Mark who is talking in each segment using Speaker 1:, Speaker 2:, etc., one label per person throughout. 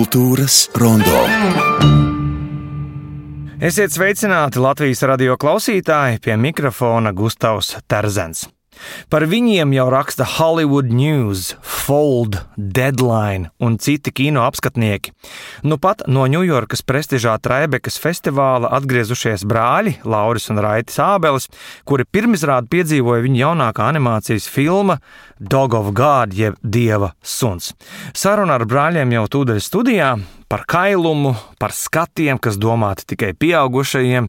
Speaker 1: Kultūras rondo.
Speaker 2: Esiet sveicināti Latvijas radio klausītāji, pie mikrofona Gustavs Terzens. Par viņiem jau raksta Hollywood News, Fold, Deadline un citi kino apskatnieki. Nu pat no Ņujorkas prestižā Traibekas festivāla atgriezušies brāļi Lauris un Raitis Ābelis, kuri pirmizrādi piedzīvoja viņa jaunākā animācijas filma Dog of God, jeb Dieva suns. Saruna ar brāļiem jau tūdaļ studijā par kailumu, par skatiem, kas domāti tikai pieaugušajiem,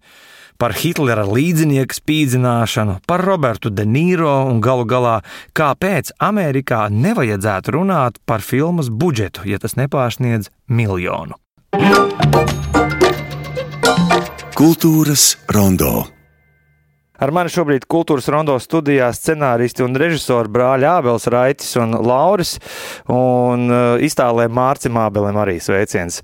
Speaker 2: par Hitlera līdzinieku spīdzināšanu, par Robertu De Niro un galu galā, kāpēc Amerikā nevajadzētu runāt par filmas budžetu, ja tas nepārsniedz miljonu.
Speaker 1: Kultūras rondo.
Speaker 2: Ar mani šobrīd Kultūras rondo studijā scenāristi un režisori brāļi Ābelis, Raitis un Lauris, un iztālē Mārcim Ābelim arī sveiciens.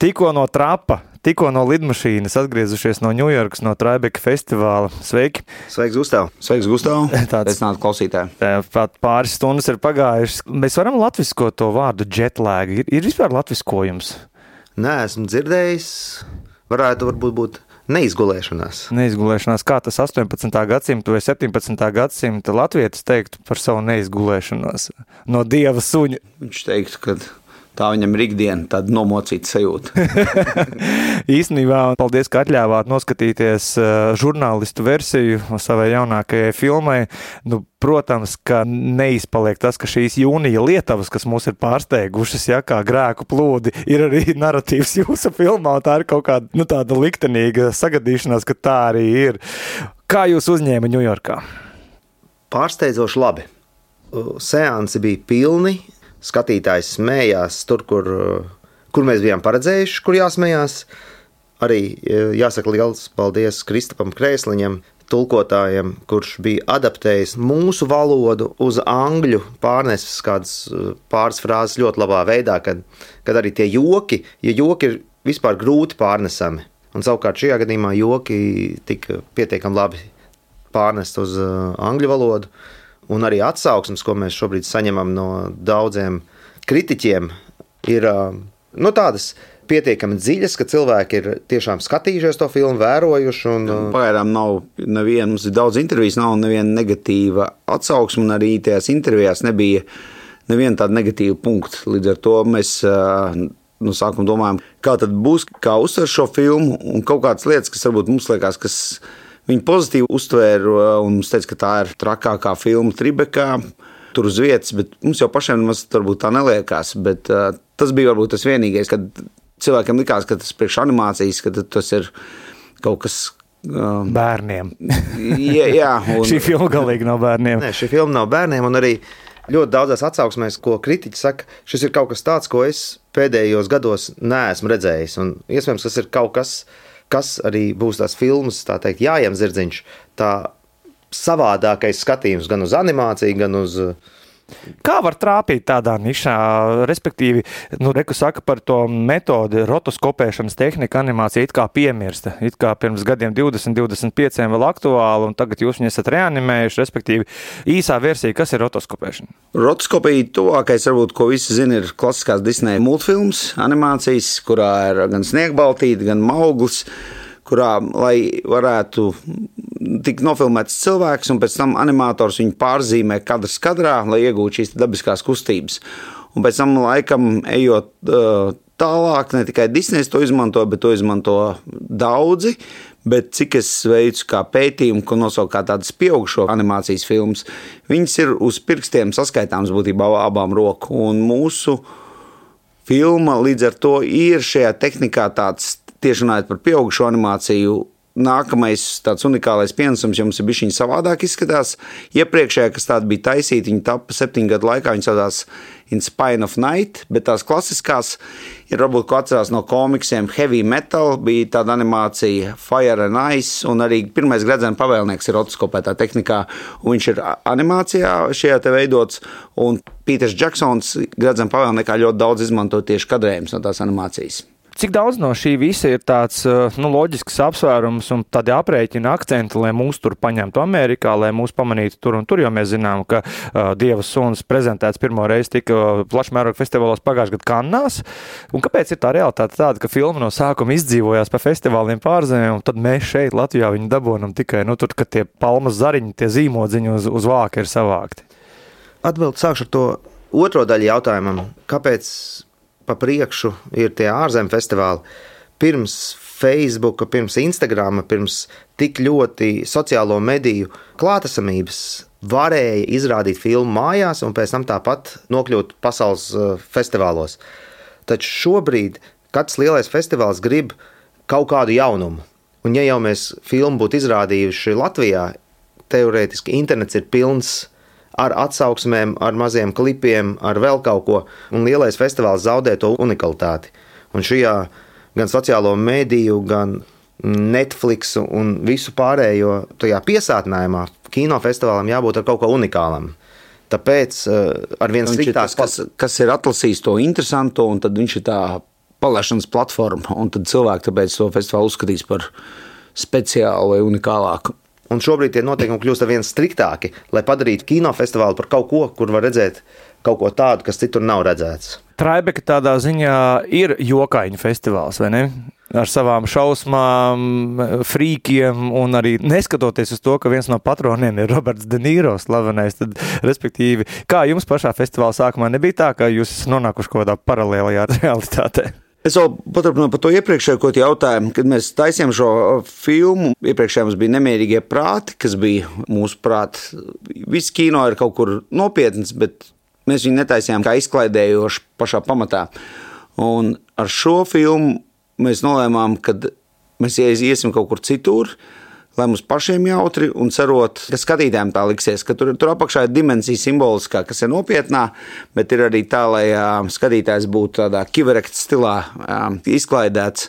Speaker 2: Tikko no trapa, tikko no lidmašīnas atgriezušies no Ņujorkas, no Traibeka festivāla. Sveiki!
Speaker 3: Sveiks, Gustav! Sveiks, Gustav! Sveicināti klausītāji!
Speaker 2: Pat pāris stundas ir pagājušas. Mēs varam latviskot to vārdu jetlag. Ir vispār latviskojums?
Speaker 3: Nē, esmu dzirdējis. Varētu varbūt būt neizgulēšanās.
Speaker 2: Neizgulēšanās. Kā tas 18. gadsimta vai 17. gadsimta latvietis teiktu par savu neizgulēšanos no Dieva suņa?
Speaker 3: Viņš teiktu, ka tā viņam ir ikdiena, tāda nomocīta sajūta.
Speaker 2: Īstenībā, paldies, ka atļāvāt noskatīties žurnālistu versiju savai jaunākajai filmai. Nu, protams, ka neizpaliek tas, ka šīs jūnija lietavas, kas mūs ir pārsteigušas, kā grēku plūdi, ir arī naratīvs jūsu filmā. Tā ir kaut kāda tāda liktenīga sagadīšanās, ka tā arī ir. Kā jūs uzņēma Ņujorkā?
Speaker 3: Pārsteidzoši labi. Seansi bija pilni. Skatītājs smējās tur, kur mēs bijām paredzējuši, kur jāsmējās. Arī jāsaka liels paldies Kristapam Krēsliņam, tulkotājiem, kurš bija adaptējis mūsu valodu uz angļu, pārnesis kādas pāris frāzes ļoti labā veidā, kad arī tie joki, ja joki ir vispār grūti pārnesami. Un savukārt šajā gadījumā joki tika pietiekami labi pārnest uz angļu valodu. Un arī atsauksmes, ko mēs šobrīd saņemam no daudziem kritiķiem, ir tādas pietiekami dziļas, ka cilvēki ir tiešām skatījušies to filmu, vērojuši.
Speaker 4: Pagaidām nav neviena, mums ir daudz intervijas, nav neviena negatīva atsauksme, un arī tajās intervijās nebija neviena tāda negatīva punkta. Līdz ar to mēs no sākuma domājam, kā tad būs, kā uztver šo filmu, un kaut kādas lietas, kas varbūt mums liekas, kas viņi pozitīvi uztvēra un mums teica, ka tā ir trakākā filma Tribekā, tur uz vietas, bet mums jau pašiem nemaz varbūt tā neliekās. Bet tas bija varbūt tas vienīgais, kad cilvēkiem likās, ka tas priekš animācijas, ka tas ir kaut kas
Speaker 2: bērniem.
Speaker 4: Jā, un
Speaker 2: šī filma galīgi nav bērniem.
Speaker 3: Nē, šī filma nav bērniem, un arī ļoti daudzās atsauksmēs, ko kritiķi saka, šis ir kaut kas tāds, ko es pēdējos gados neesmu redzējis. Un iespējams, tas ir kaut kas arī būs tās filmas, tā teikt, Jājam Zirdziņš, tā savādākais skatījums gan uz animāciju, gan uz...
Speaker 2: Kā var trāpīt tādā nišā, respektīvi, reku saka par to metodi, rotoskopēšanas tehnika animācija it kā piemirsta, it kā pirms gadiem 20-25 vēl aktuāli, un tagad jūs viņu esat reanimējuši, respektīvi, īsā versija, kas ir rotoskopēšana?
Speaker 4: Rotoskopija tuvākais, varbūt, ko visi zina, ir klasiskās Disney multfilms, animācijas, kurā ir gan Sniegbaltīte, gan Mauglis, kurā, lai varētu tikt nofilmēts cilvēks, un pēc tam animators viņu pārzīmē kadrs kadrā, lai iegūtu šīs dabiskās kustības. Un pēc tam laikam, ejot tālāk, ne tikai Disneys to izmanto, bet to izmanto daudzi, bet cik es veicu kā pētījumu, ko nosauku kā tādas pieaugušo animācijas filmas, viņas ir uz pirkstiem saskaitāms būtībā abām roku, un mūsu filma līdz ar to ir šajā tehnikā tāds, tieši runājot par pieaugušo animāciju, nākamais tāds unikālais pienesums, jo mums ir bišķiņi savādāk izskatās. Iepriekšējā, kas tāda bija taisīta, viņa tapa 7 gadu laikā, viņa saucās In Spine of Night, bet tās klasiskās ir varbūt, ko atcerās no komiksiem, Heavy Metal, bija tāda animācija Fire and Ice, un arī pirmais Gredzena pavēlnieks ir rotoskopētā tehnikā, un viņš ir animācijā šajā te veidots, un Pīters Džeksons Gredzena pavēlniekā ļoti daudz izmanto tieši kadrējums no tās animācijas.
Speaker 2: Cik daudz no šī visa ir tāds loģisks apsvērums un tādi aprēķina akcenti, lai mūs tur paņemtu Amerikā, lai mūs pamanītu tur un tur, jo mēs zinām, ka Dieva suns prezentēts pirmo reizi tika plašmēroga festivālos pagājušajā gadā Kannās. Un kāpēc ir tā realitāte tāda, ka filma no sākuma izdzīvojās pa festivāliem pārzemēm, un tad mēs šeit Latvijā viņu dabonam tikai, tur, kad tie palmas zariņi, tie zīmodziņi uz vāka ir savākti?
Speaker 3: Atbild sākšu ar to otro daļu jautājumam. Kāpēc pa priekšu ir tie ārzemju festivāli? Pirms Facebooka, pirms Instagrama, pirms tik ļoti sociālo mediju klātesamības varēja izrādīt filmu mājās un pēc tam tāpat nokļūt pasaules festivālos. Taču šobrīd katrs lielais festivāls grib kaut kādu jaunumu. Un ja jau mēs filmu būtu izrādījuši Latvijā, teorētiski internets ir pilns ar atsauksmēm, ar maziem klipiem, ar vēl kaut ko, un lielais festivāls zaudē to unikalitāti. Un šajā gan sociālo mediju, gan Netflix un visu pārējo tajā piesātinājumā kinofestivālam jābūt ar kaut ko unikālam. Tāpēc ar viens sliktāk...
Speaker 4: Kas ir atlasījis to interesanto, un tad viņš ir tā palaišanas platforma, un tad cilvēki tāpēc to festivālu uzskatīs par speciālu vai unikālāku.
Speaker 3: Un šobrīd tie noteikumi kļūst ar vien striktāki, lai padarītu kinofestivālu par kaut ko, kur var redzēt kaut ko tādu, kas citur nav redzēts.
Speaker 2: Traibeka tādā ziņā ir jokaiņu festivāls, vai ne? Ar savām šausmām, frīkiem un arī neskatoties uz to, ka viens no patroniem ir Roberts De Niro slavenais, tad respektīvi, kā jums pašā festivāla sākumā nebija tā, ka jūs esat nonākuši kaut kādā paralēlajā realitātē?
Speaker 4: Es vēl paturpināju par to iepriekšējo, ko jautājumu, kad mēs taisījām šo filmu. Iepriekšējā mums bija Nemierīgie prāti, kas bija mūsu prāt. Viss kino ir kaut kur nopietns, bet mēs viņu netaisījām kā izklaidējoši pašā pamatā. Un ar šo filmu mēs nolēmām, ka mēs iesim kaut kur citur, lai mums pašiem jautri un cerot, ka skatītājiem tā liksies, ka tur apakšā ir dimensija simboliskā, kas ir nopietnā, bet ir arī tā, lai skatītājs būtu tādā kiverekta stilā izklaidēts.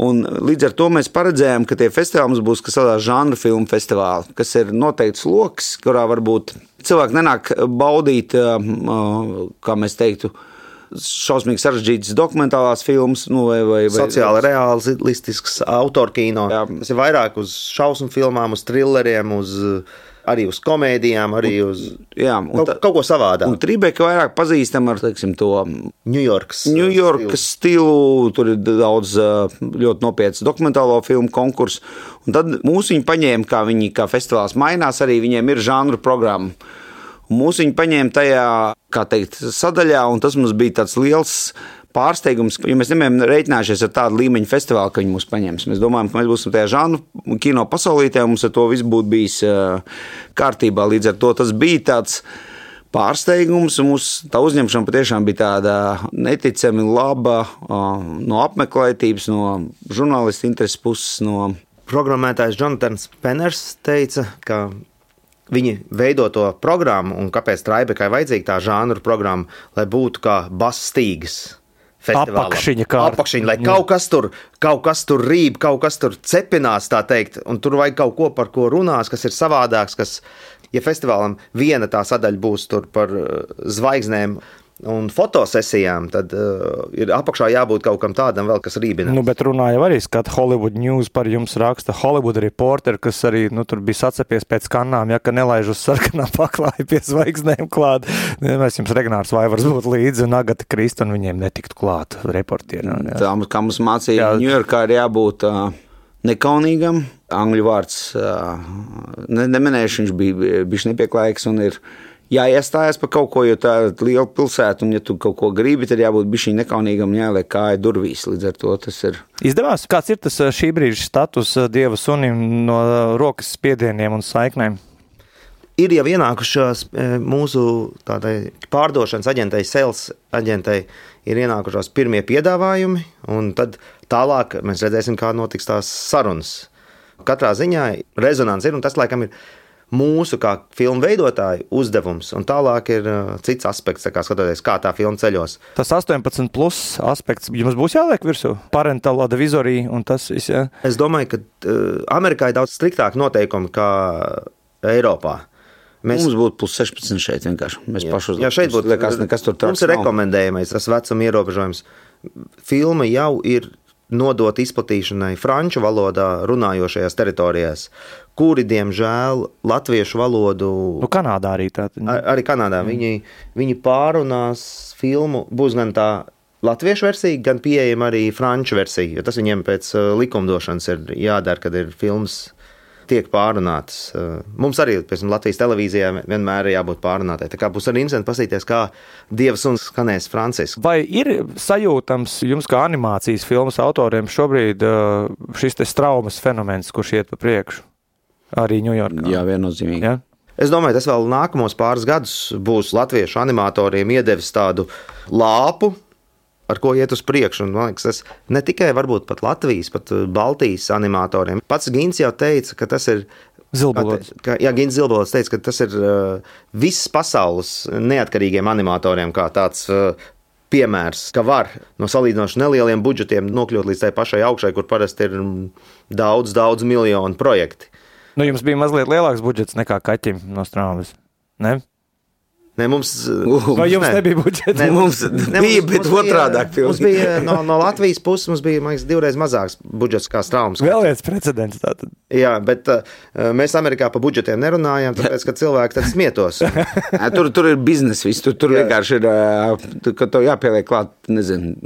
Speaker 4: Un līdz ar to mēs paredzējām, ka tie festivāli mums būs kas tādā žanra filmu festivāli, kas ir noteikts loks, kurā varbūt cilvēki nenāk baudīt, kā mēs teiktu, šausmīgi sarežģītas dokumentālās filmas, vai
Speaker 3: sociāli realistisks autorkino. Tas ir vairāk uz šausmu filmām, uz thrilleriem, arī uz komēdijām, arī uz kaut ko savādāk.
Speaker 4: Un Trībeka vairāk pazīstam ar, teiksim, to
Speaker 3: Ņujorkas
Speaker 4: stilu, tur ir daudz ļoti nopietns dokumentālo filmu konkursu, un tad mūs viņi paņēma, kā festivāls mainās, arī viņiem ir žanru programma. Un mūs viņi paņēma tajā, kā teikt, sadaļā, un tas mums bija tāds liels pārsteigums, jo mēs nebijām reiķinājušies ar tādu līmeņu festivālu, ka viņi mūs paņems. Mēs domājam, ka mēs būsim tajā žanru kino pasaulītē, un mums ar to viss būtu bijis kārtībā. Līdz ar to tas bija tāds pārsteigums, un mūsu tā uzņemšana patiešām bija tāda neticami laba no apmeklētības, no žurnālistu intereses puses.
Speaker 3: Programmētājs Jonatans Penners teica, ka viņi veido to programmu, un kāpēc Traibekai vajadzīga tā žanru programma, lai būtu kā Bastīgas festivālā. Apakšiņa, lai kaut kas tur rīb, kaut kas tur cepinās, tā teikt, un tur vajag kaut ko, par ko runās, kas ir savādāks, kas, ja festivālam viena tā sadaļa būs tur par zvaigznēm un fotosesijām, tad ir apakšā jābūt kaut kam tādam vēl, kas rībina.
Speaker 2: Bet runāja arī skat Hollywood News par jums raksta Hollywood Reporter, kas arī tur bija sacepies pēc Kannām, ka nelaiž uz sarkanā paklāja pie zvaigznēm klāt. Mēs jums Regnārs Vaivars būtu līdzi un Agata Krista, un viņiem netiktu klāt reportieriem.
Speaker 4: Tā, kā mums mācīja Ņujorkā, ir jābūt nekaunīgam. Angļu vārds neminējuši, viņš bija bišķi nepieklājīgs un ir jāiestājas par kaut ko, jo tā ir liela pilsēta, un ja tu kaut ko gribi, tad jābūt bišķiņ nekaunīgam un jāliek kāja durvīs. Līdz ar to tas ir.
Speaker 2: Izdevās? Kāds ir tas šī brīža status Dieva sunim no rokas spiedieniem un saiknēm?
Speaker 3: Ir jau ienākušās mūsu tādai pārdošanas aģentei, sales aģentei, ir ienākušās pirmie piedāvājumi, un tad tālāk mēs redzēsim, kā notiks tās sarunas. Katrā ziņā rezonans ir, un tas laikam ir mūsu kā filmu veidotāju uzdevums, un tālāk ir cits aspekts, kā skatoties, kā tā filma ceļos.
Speaker 2: Tas 18 plus aspekts jums būs jāliek virsū? Parental advisory un tas viss, jā?
Speaker 3: Es domāju, ka Amerikā ir daudz striktāk noteikumi kā Eiropā.
Speaker 4: Mums būtu plus 16 šeit vienkārši. Mēs paši
Speaker 3: šeit būtu,
Speaker 4: liekas, nekas tur tāds
Speaker 3: mums ir rekomendējamais, tas vecuma ierobežojums. filma jau ir nodot izplatīšanai franču valodā runājošajās teritorijās, kuri, diemžēl, latviešu valodu...
Speaker 2: Kanādā arī tā.
Speaker 3: Arī Kanādā. Viņi pārunās filmu, būs gan tā latviešu versija, gan pieejama arī franču versija, jo tas viņiem pēc likumdošanas ir jādara, kad ir filmas tiek pārunātas. Mums arī, piemēram, Latvijas televīzijā vienmēr ir jābūt pārunātai. Tā kā būs arī interesanti paskatīties, kā Dieva suns skanēs franciski.
Speaker 2: Vai ir sajūtams jums kā animācijas filmas autoriem šobrīd šis te straumas fenomens, kurš iet pa priekšu? Arī Ņujorkā.
Speaker 4: Jā, viennozīmīgi.
Speaker 2: Ja?
Speaker 3: Es domāju, tas vēl nākamos pāris gadus būs latviešu animatoriem iedevis tādu lāpu, ar ko iet uz priekšu. Un, man liekas, tas ne tikai varbūt pat Latvijas, pat Baltijas animatoriem. Pats Gins jau teica, ka tas ir...
Speaker 2: Zilbalots.
Speaker 3: Gins Zilbalots teica, ka tas ir visas pasaules neatkarīgiem animatoriem kā tāds piemērs, ka var no salīdzinoši nelieliem budžetiem nokļūt līdz tai pašai augšai, kur parasti ir daudz miljonu projekti.
Speaker 2: Nu, jums bija mazliet lielāks budžets nekā kaķim no Straumes, ne?
Speaker 3: Ne, mums,
Speaker 2: vai jums nebija budžets?
Speaker 4: Ne, mums bija, bet otrādāk filmas.
Speaker 3: Mums bija no Latvijas puses, mums bija, man liekas, 2 reizes mazāks budžets kā Straumes.
Speaker 2: Vēl viens precedents tātad.
Speaker 3: Jā, bet mēs Amerikā pa budžetiem nerunājam, tāpēc, ka cilvēki tad smietos.
Speaker 4: Tur ir biznes viss, tur vienkārši ir, ka tev jāpieliek klāt, nezinu,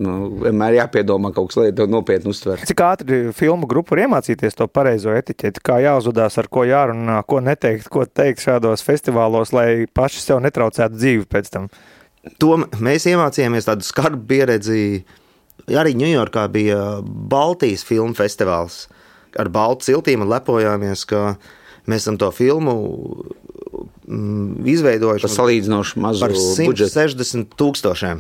Speaker 4: vienmēr jāpiedomā kaut kas, lai tev nopietni uztver.
Speaker 2: Cik ātri filmu grupu var iemācīties to pareizo etiķeti, kā jāuzvedās, ar ko jārunā, ko neteikt, ko teikt šādos festivālos, lai paši sev netraucētu dzīvi pēc tam?
Speaker 3: To mēs iemācījāmies tādu skarbu pieredzi. Arī Ņujorkā bija Baltijas filmu festivāls ar baltu ciltīm un lepojāmies, ka mēs esam to filmu izveidojuši
Speaker 4: salīdzinoši mazu
Speaker 3: par
Speaker 4: budžetu.
Speaker 3: 160 000.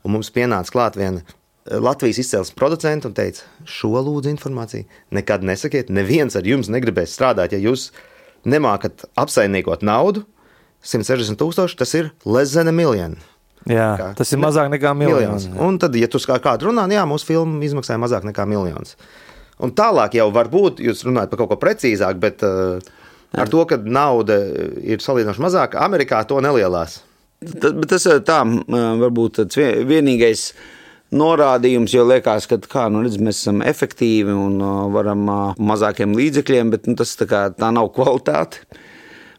Speaker 3: Un mums pienāca klāt viena Latvijas izcelsmes producenta un teica, šo lūdzu informāciju nekad nesakiet, neviens ar jums negribēs strādāt, ja jūs nemākat apsaimniekot naudu. 160 000, tas ir less than $1 million.
Speaker 2: Jā, tas ir mazāk nekā miljons.
Speaker 3: Un tad, ja tu kā kādu runā, jā, mūsu filma izmaksāja mazāk nekā $1 000. Un tālāk jau varbūt jūs runājat par kaut ko precīzāk, bet ar to, ka nauda ir salīdzinoši mazāka, Amerikā to nelielās.
Speaker 4: Bet tas ir tā, varbūt tāds vienīgais norādījums, jo liekas, ka mēs esam efektīvi un varam mazākiem līdzekļiem, bet tas tā nav kvalitāte.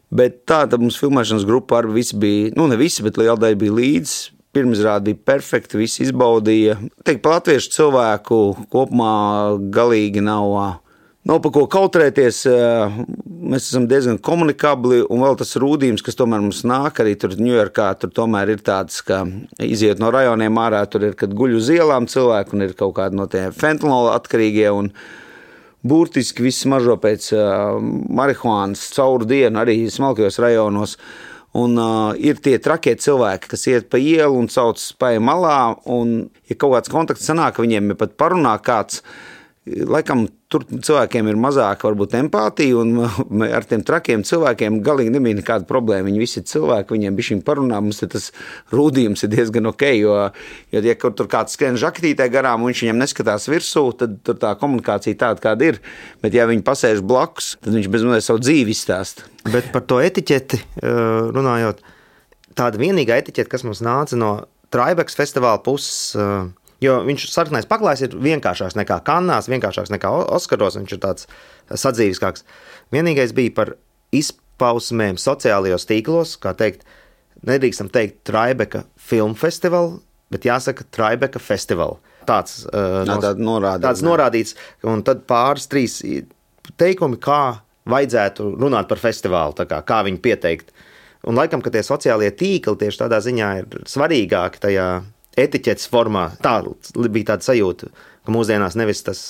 Speaker 4: Bet tāda mums filmēšanas grupa arī visi bija, ne visi, bet liela daļa bija līdz. Pirmizrāde bija perfekta, visi izbaudīja. Teikt, par latviešu cilvēku kopumā galīgi nav pa ko kautrēties. Mēs esam diezgan komunikabli, un vēl tas rūdījums, kas tomēr mums nāk arī tur Ņujorkā, tur tomēr ir tāds, ka iziet no rajoniem ārā, tur ir, kad guļ uz ielām cilvēku, un ir kaut kādi no tie fentanola atkarīgie, un burtiski viss mažo pēc marihuānas cauru dienu arī smalkajos rajonos. Un ir tie trakie cilvēki, kas iet pa ielu un sauc spēju malā, un ja kaut kāds kontakts sanāk, viņiem ir pat parunā kāds, laikam tur cilvēkiem ir mazāk varbūt empātija, un ar tiem trakiem cilvēkiem galīgi nebija nekāda problēma. Viņi visi ir cilvēki, viņiem bišķiņ parunā, mums tas rūdījums ir diezgan ok, jo ja tur kāds skrien žaketītē garām un viņš viņam neskatās virsū, tad tur tā komunikācija tāda, kāda ir. Bet ja viņi pasēž blakus, tad viņš bezmazliet savu dzīvi izstāsta.
Speaker 3: Bet par to etiķeti runājot, tāda vienīgā etiķete, kas mums nāca no Tribeks festivāla puses, jo viņš sarkanais paklājs ir vienkāršāks nekā Kannās, vienkāršāks nekā Oskaros, viņš ir tāds sadzīviskāks. Vienīgais bija par izpausmēm sociālajos tīklos, kā teikt, nedrīkstam teikt Tribeka filmu festivālu, bet jāsaka Tribeka festivālu. Tāds norādīts, un tad pāris 3 teikumi, kā vajadzētu runāt par festivālu, kā viņu pieteikt. Un laikam, ka tie sociālie tīkli tieši tādā ziņā ir svarīgāki tajā etiķetes formā. Tā bija tāda sajūta, ka mūsdienās nevis tas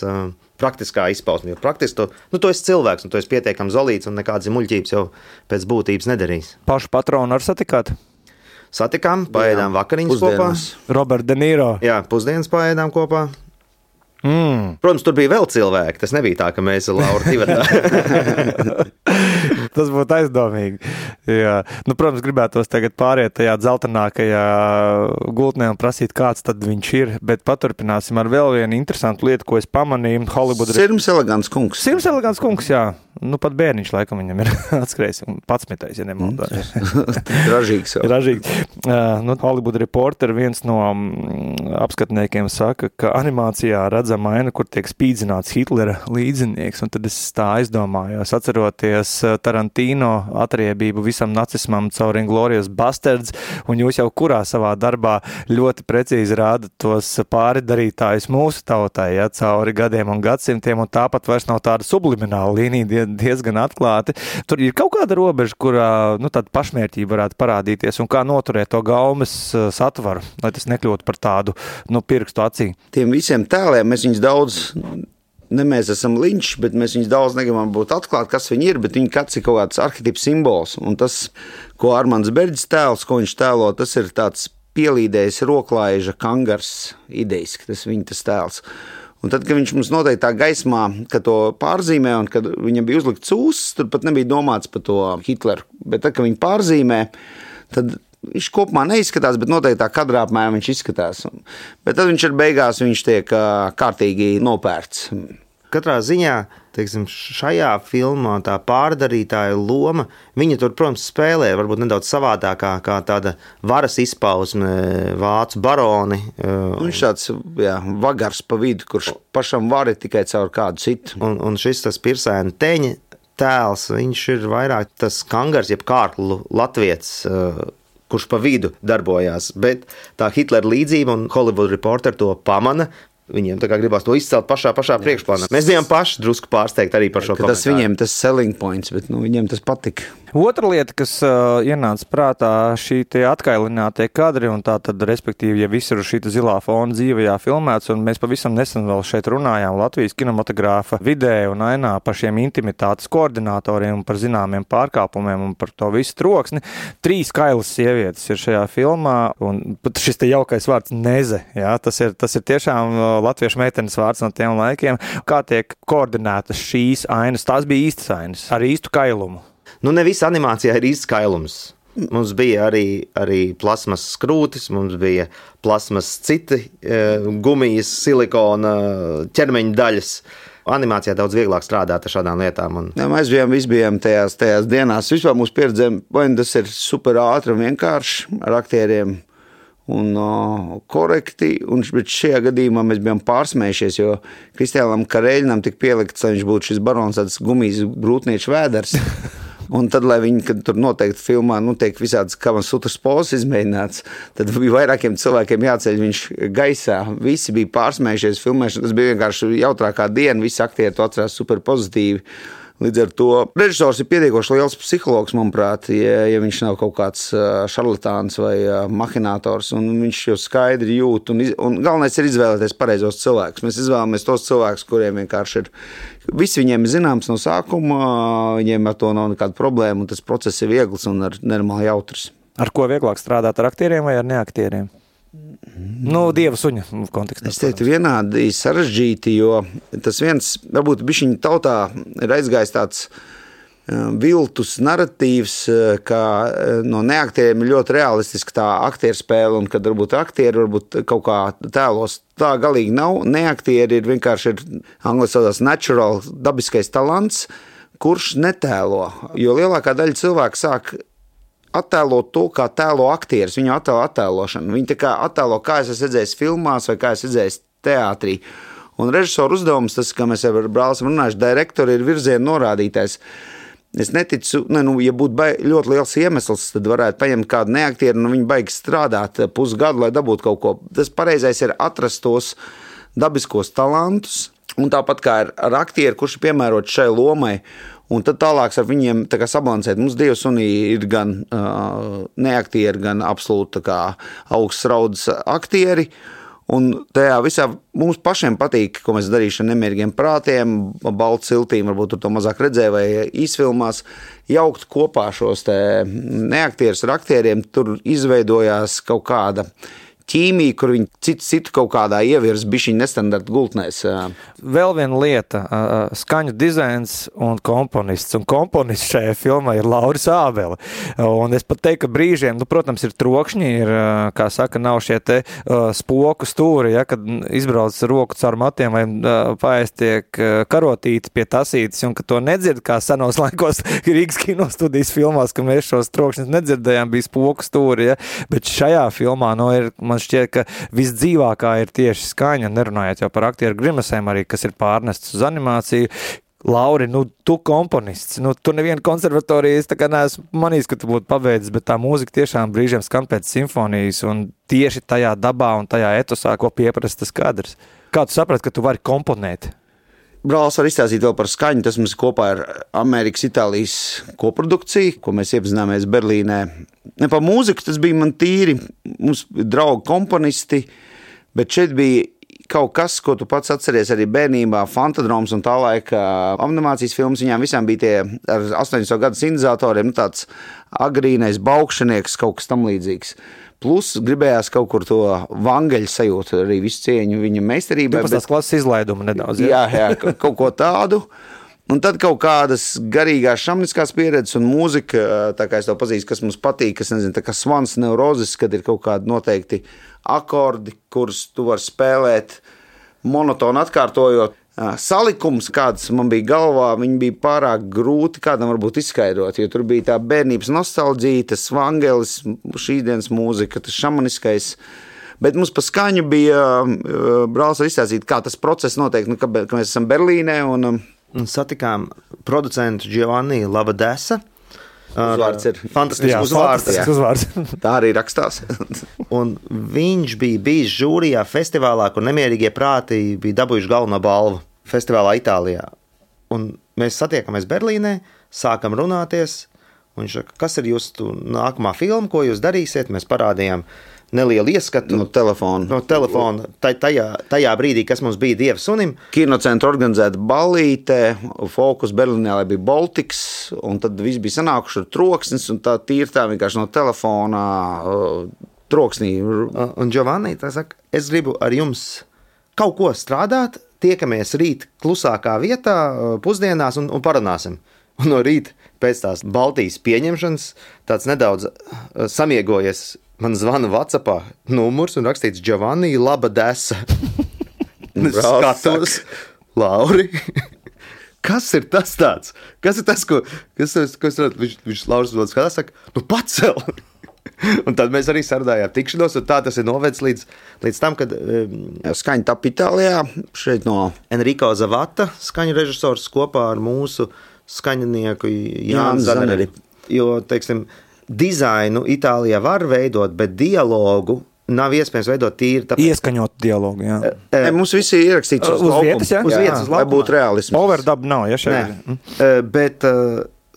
Speaker 3: praktiskā izpausme, jo praktiski tu esi cilvēks, un tu esi pietiekami zolīts, un nekādas muļķības jau pēc būtības nedarīs.
Speaker 2: Pašu patronu ar satikāt?
Speaker 3: Satikām, paēdām vakariņas kopā.
Speaker 2: Robert De Niro.
Speaker 3: Jā, pusdienas paēdām kopā. Protams, tur bija vēl cilvēki, tas nebija tā, ka mēs ar Lauru divatā.
Speaker 2: Tas būtu aizdomīgi. Jā. Protams, gribētos tagad pāriet tajā dzeltenākajā gultnē un prasīt, kāds tad viņš ir, bet paturpināsim ar vēl vienu interesantu lietu, ko es pamanīju.
Speaker 4: Sirms Elegants kungs.
Speaker 2: Sirms Elegants kungs, jā. pat bērniņš laikam viņam ir atskrējis, 11. ja nemaldās.
Speaker 4: Ražīgs jau.
Speaker 2: Ražīgi. Hollywood Reporter viens no apskatniekiem saka, ka animācijā redzama aina, kur tiek spīdzināts Hitlera līdzinieks, un tad es tā aizdomājos, atceroties Tarantino atriebību visam nacismam caur Inglourious Basterds, un jūs jau kurā savā darbā ļoti precīzi rādat tos pāridarītājus mūsu tautai, ja, cauri gadiem un gadsimtiem, un tāpat vairs nav tāda sublimināla līnija diezgan atklāti. Tur ir kaut kāda robeža, kurā tāda pašmērķība varētu parādīties, un kā noturēt to gaumes satvaru, lai tas nekļūtu par tādu pirkstu acī.
Speaker 4: Tiem visiem tēliem mēs viņus daudz, ne mēs esam Linčs, bet mēs viņus daudz negribam būt atklāt, kas viņi ir, bet viņi kāds ir kaut kāds arhetips simbols, un tas, ko Armands Berģis tēls, ko viņš tēlo, tas ir tāds pielīdējis roklaiža kangars idejiski, tas viņa tas tēls. Un tad, kad viņš mums noteikti tā gaismā, kad to pārzīmē un kad viņam bija uzlikts ūsas, tur pat nebija domāts par to Hitleru. Bet tad, kad viņi pārzīmē, tad viņš kopumā neizskatās, bet noteikti tā kadrā apmēram viņš izskatās. Bet tad viņš ir beigās, viņš tiek kārtīgi nopērts.
Speaker 3: Katrā ziņā, teiksim, šajā filmā tā pārdarītāja loma, viņa tur, protams, spēlē varbūt nedaudz savādākā kā tāda varas izpausme, vācu baroni.
Speaker 4: Viņš tāds, vagars pa vidu, kurš pašam var tikai caur kādu citu.
Speaker 3: Un šis tas Pirsēna teņa tēls, viņš ir vairāk tas kangars, jeb kārklu latvietis, kurš pa vidu darbojās. Bet tā Hitlera līdzība un Hollywood Reporter to pamana. Viņiem tā kā gribās to izcelt pašā priekšplānā. Mēs bijām paši drusku pārsteigti arī par šo komentāru.
Speaker 4: Tas viņiem tas selling points, bet viņiem tas patika.
Speaker 2: Otra lieta, kas ienāca prātā, šī tie atkailinātie kadri, un tā tad, respektīvi, ja visur šī zilā fona dzīvajā filmēts, un mēs pavisam nesen vēl šeit runājām Latvijas kinematogrāfa vidē un ainā par šiem intimitātes koordinatoriem un par zināmiem pārkāpumiem un par to visu troksni. 3 kailas sievietes ir šajā filmā, un šis te jaukais vārds neze, jā, tas ir tiešām latviešu meitenes vārds no tiem laikiem. Kā tiek koordinētas šīs ainas? Tās bija īstas ainas, ar īstu kailumu.
Speaker 3: Ne visa animācijā ir īsts kailums. Mums bija arī plasmas skrūtis, mums bija plasmas citi gumijas, silikona ķermeņa daļas. Animācijā daudz vieglāk strādāt ar šādām lietām.
Speaker 4: Jā, mēs visi bijām tajās dienās. Vispār mūsu pieredzēm, tas ir super ātri un vienkārši ar aktieriem un korekti, bet šajā gadījumā mēs bijām pārsmējušies, jo Kristiānam Kareļinam tika pielikts, lai viņš būtu šis barons tāds gumijas brūtnieču vēders. Un tad, lai viņi, kad tur noteikti filmā, tiek visādas Kamas Sutras pozas izmēģināts, tad bija vairākiem cilvēkiem jāceļ viņš gaisā. Visi bija pārsmējušies filmēšana, tas bija vienkārši jautrākā diena, visi aktieri to atcerās super pozitīvi. Līdz ar to režisors ir pietiekoši liels psihologs, manuprāt, ja viņš nav kaut kāds šarlatāns vai mahinators, un viņš jau skaidri jūt, un galvenais ir izvēlēties pareizos cilvēkus. Mēs izvēlamies tos cilvēkus, kuriem vienkārši ir, visi viņiem ir zināms no sākuma, viņiem ar to nav nekāda problēma, un tas process ir viegls un normāli jautrs.
Speaker 2: Ar ko vieglāk strādāt, ar aktieriem vai ar neaktieriem? Dieva suņa kontekstā.
Speaker 4: Es teiktu vienādi sarežģīti, jo tas viens, varbūt bišķiņ tautā ir aizgājis tāds viltus narratīvs, ka no neaktieriem ir ļoti realistiski tā aktieru spēle, un kad varbūt aktieri varbūt kaut kā tēlos. Tā galīgi nav. Neaktieri ir vienkārši angļu saucās natural, dabiskais talants, kurš netēlo, jo lielākā daļa cilvēku sāk attēlot to, kā tēlo aktieris, viņu attēlošanu. Viņi tā kā attēlo, kā es esmu redzējis filmās vai kā es redzējis teātrī. Un režisoru uzdevums, tas, kā mēs jau ar brāli runājuši, direktori ir virziena norādītājs. Es neticu, ja būtu ļoti liels iemesls, tad varētu paņemt kādu neaktieru, un viņi baigi strādāt pusgadu, lai dabūtu kaut ko. Tas pareizais ir atrast tos dabiskos talantus, un tāpat kā ar aktieru, kurš ir piemērots šai lomai, un tad tālāk ar viņiem tā kā sabalansēt. Mums Dieva sunī ir gan neaktieri, gan absolūti augsts raudas aktieri, un tajā visā mums pašiem patīk, ko mēs darīšu ar nemierīgiem prātiem, baltu siltīm, varbūt tur to mazāk redzēja vai īsfilmās, jaukt kopā šos te neaktierus ar aktieriem, tur izveidojās kaut kāda ķīmija, kur viņi citu kaut kādā ievirs bišķiņ nestandarta gultnēs.
Speaker 2: Vēl viena lieta - skaņu dizains un komponists. Un komponists šajā filmā ir Lauris Ābele. Un es pat teiktu, ka brīžiem, protams, ir trokšņi, ir, kā saka, nav šie te spoku stūri, ja, kad izbrauc roku caur matiem vai paēst tiek karotīti pie tasītes, un ka to nedzird, kā senos laikos Rīgas kinostudijas filmās, ka mēs šos trokšņus nedzirdējām, bija spoku stūri, ja, bet šajā filmā, man šķiet, ka visdzīvākā ir tieši skaņa, nerunājot jau par aktieru grimesēm arī, kas ir pārnests uz animāciju. Lauri, tu komponists, tu nevienu konservatoriju, es tā kā neesmu manījis, ka tu būtu pabeidzis, bet tā mūzika tiešām brīžiem skan pēc simfonijas un tieši tajā dabā un tajā etosā, ko pieprasa tas kadrs. Kā tu saprati, ka tu vari komponēt?
Speaker 4: Brālis var izstāstīt vēl par skaņu. Tas mums kopā ir Amerikas-Itālijas koprodukcija, ko mēs iepazināmies Berlīnē. Ne par mūziku, tas bija man tīri. Mums draugi komponisti, bet šeit bija kaut kas, ko tu pats atceries arī bērnībā, Fantadroms un tā laika animācijas filmas. Viņām visām bija tie ar 80. gadu sintēzatoriem, tāds agrīnais baukšanieks, kaut kas tam līdzīgs. Plus gribējās kaut kur to vangeļu sajūtu, arī visu cieņu viņa meistarībai.
Speaker 2: Tas klases izlaidumu nedaudz.
Speaker 4: Jā, kaut ko tādu. Un tad kaut kādas garīgās šamniskās pieredzes un mūzika, tā kā es to pazīstu, kas mums patīk, kas nezinu, tā kā svans neurozis, kad ir kaut kādi noteikti akordi, kurus tu vari spēlēt monotoni atkārtojot. Salikums, kāds man bija galvā, viņi bija pārāk grūti kādam varbūt izskaidrot, jo tur bija tā bērnības nostalģija, tas vangelis, šīdienas mūzika, tas šamaniskais. Bet mums pa skaņu bija brālis var izstāstīt, kā tas process notiek, ka mēs esam Berlīnē un
Speaker 3: satikām producentu Giovanni Lavadesa.
Speaker 4: Uzvārds ir
Speaker 3: fantastisks uzvārds.
Speaker 4: Tā arī rakstās.
Speaker 3: Un viņš bija bijis žūrijā festivālā, kur nemierīgie prāti bija dabūjuši galveno balvu festivālā Itālijā. Un mēs satiekamies Berlīnē, sākam runāties. Viņš saka, kas ir jūsu nākamā filma, ko jūs darīsiet? Mēs parādījām nelielu ieskatu
Speaker 4: no telefona.
Speaker 3: Tajā brīdī, kas mums bija Dieva sunim.
Speaker 4: Kinocentra organizēta ballīte, fokus Berlīnē bija Baltics, un tad viss bija sanākuši ar troksnis, un tā tīri tā vienkārši no telefona troksnī.
Speaker 3: Un Giovanni tā saka, es gribu ar jums kaut ko strādāt, tiekamies rīt klusākā vietā, pusdienās un parunāsim. Un no rīta pēc tās Baltijas pieņemšanas tāds nedaudz samiegojies. Man zvana WhatsAppā numurs un rakstīts Giovanni Lavadesa. Skatos, Lauri, kas ir tas tāds? Kas ir tas, ko viņš Lauris vēl skatās, saka, pacel! Un tad mēs arī sarunājām tikšanos, un tā tas ir novedis līdz tam, kad
Speaker 4: skaņa tapa Itālijā, šeit no
Speaker 3: Enrico Zavata, skaņu režisors kopā ar mūsu skaņinieku Jānu Zaneri. Jo, teiksim, dizainu Itālijā var veidot, bet dialogu nav iespējams veidot tīri. Tāpēc...
Speaker 2: Ieskaņot dialogu, jā.
Speaker 4: Mums visi ir ierakstīts uz
Speaker 2: vietas, jā?
Speaker 3: Uz vietas,
Speaker 4: lai būtu realisms.
Speaker 2: Overdub nav, ja šeit.
Speaker 3: Bet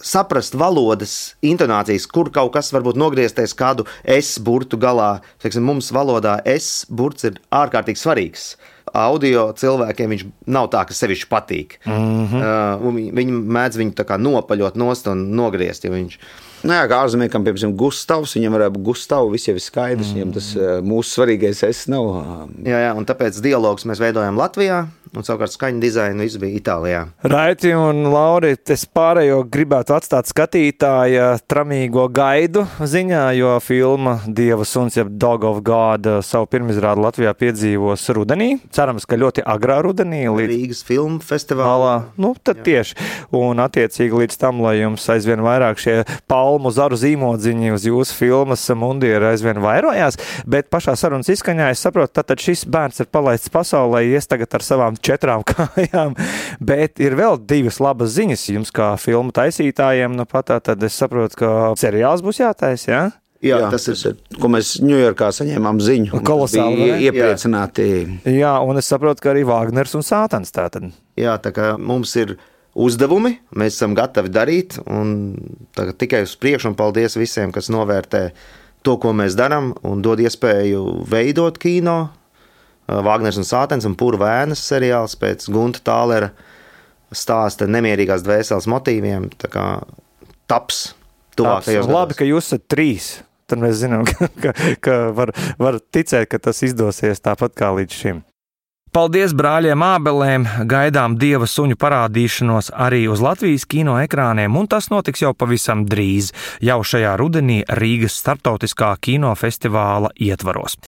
Speaker 3: saprast valodas intonācijas, kur kaut kas varbūt nogriezties kādu S burtu galā. Teiksim, mums valodā S burts ir ārkārtīgi svarīgs. Audio cilvēkiem viņš nav tā, ka sevišķi patīk. Viņi mēdz viņu tā kā nopaļot nost un nogriezt, ja viņš...
Speaker 4: Jā, kā ārzemniekam, piemēram, Gustavs, viņam varētu būt Gustavu, viss jau ir skaidrs, viņam tas mūsu svarīgais es nav.
Speaker 3: Jā, un tāpēc dialogus mēs veidojam Latvijā, un savukārt skaņu dizainu viss bija Itālijā.
Speaker 2: Raiti un Lauri, es pārējo gribētu atstāt skatītāja tramīgo gaidu ziņā, jo filma Dieva suns, jeb Dog of God, savu pirmizrādu Latvijā piedzīvos rudenī. Cerams, ka ļoti agrā rudenī.
Speaker 3: Rīgas filmu festivālā.
Speaker 2: Tad tieši. Un attiecīgi līdz tam, lai jums aizvien vairāk šie palmu zaru zīmodziņi uz jūsu filmas mundieri aizvien vairojās, bet pašā sarunas izskaņā es saprotu, tātad šis bērns ir palaists pasaulē, ies tagad ar savām 4 kājām, bet ir vēl 2 labas ziņas jums kā filmu taisītājiem, tad es saprotu, ka seriāls būs jātais, jā?
Speaker 4: Jā, tas ir, ko mēs Ņujorkā saņēmām ziņu.
Speaker 2: Kolosāli,
Speaker 4: bija iepriecināti.
Speaker 2: Jā, un es saprotu, ka arī Vāgners un Sātans tātad.
Speaker 3: Jā, tā kā mums ir uzdevumi, mēs esam gatavi darīt, un tikai uz priekšu, un paldies visiem, kas novērtē to, ko mēs darām, un dod iespēju veidot kino. Vāgners un Sātens un Pura vēnas seriāls pēc Gunta Tālera stāsta nemierīgās dvēseles motīviem, tā kā taps tuvākajos gados.
Speaker 2: Labi, ka jūs esat 3. tad mēs zinām, ka var ticēt, ka tas izdosies tāpat kā līdz šim. Paldies brāļiem Ābelēm, gaidām Dieva suņu parādīšanos arī uz Latvijas kino ekrāniem, un tas notiks jau pavisam drīz, jau šajā rudenī Rīgas starptautiskā kinofestivāla ietvaros.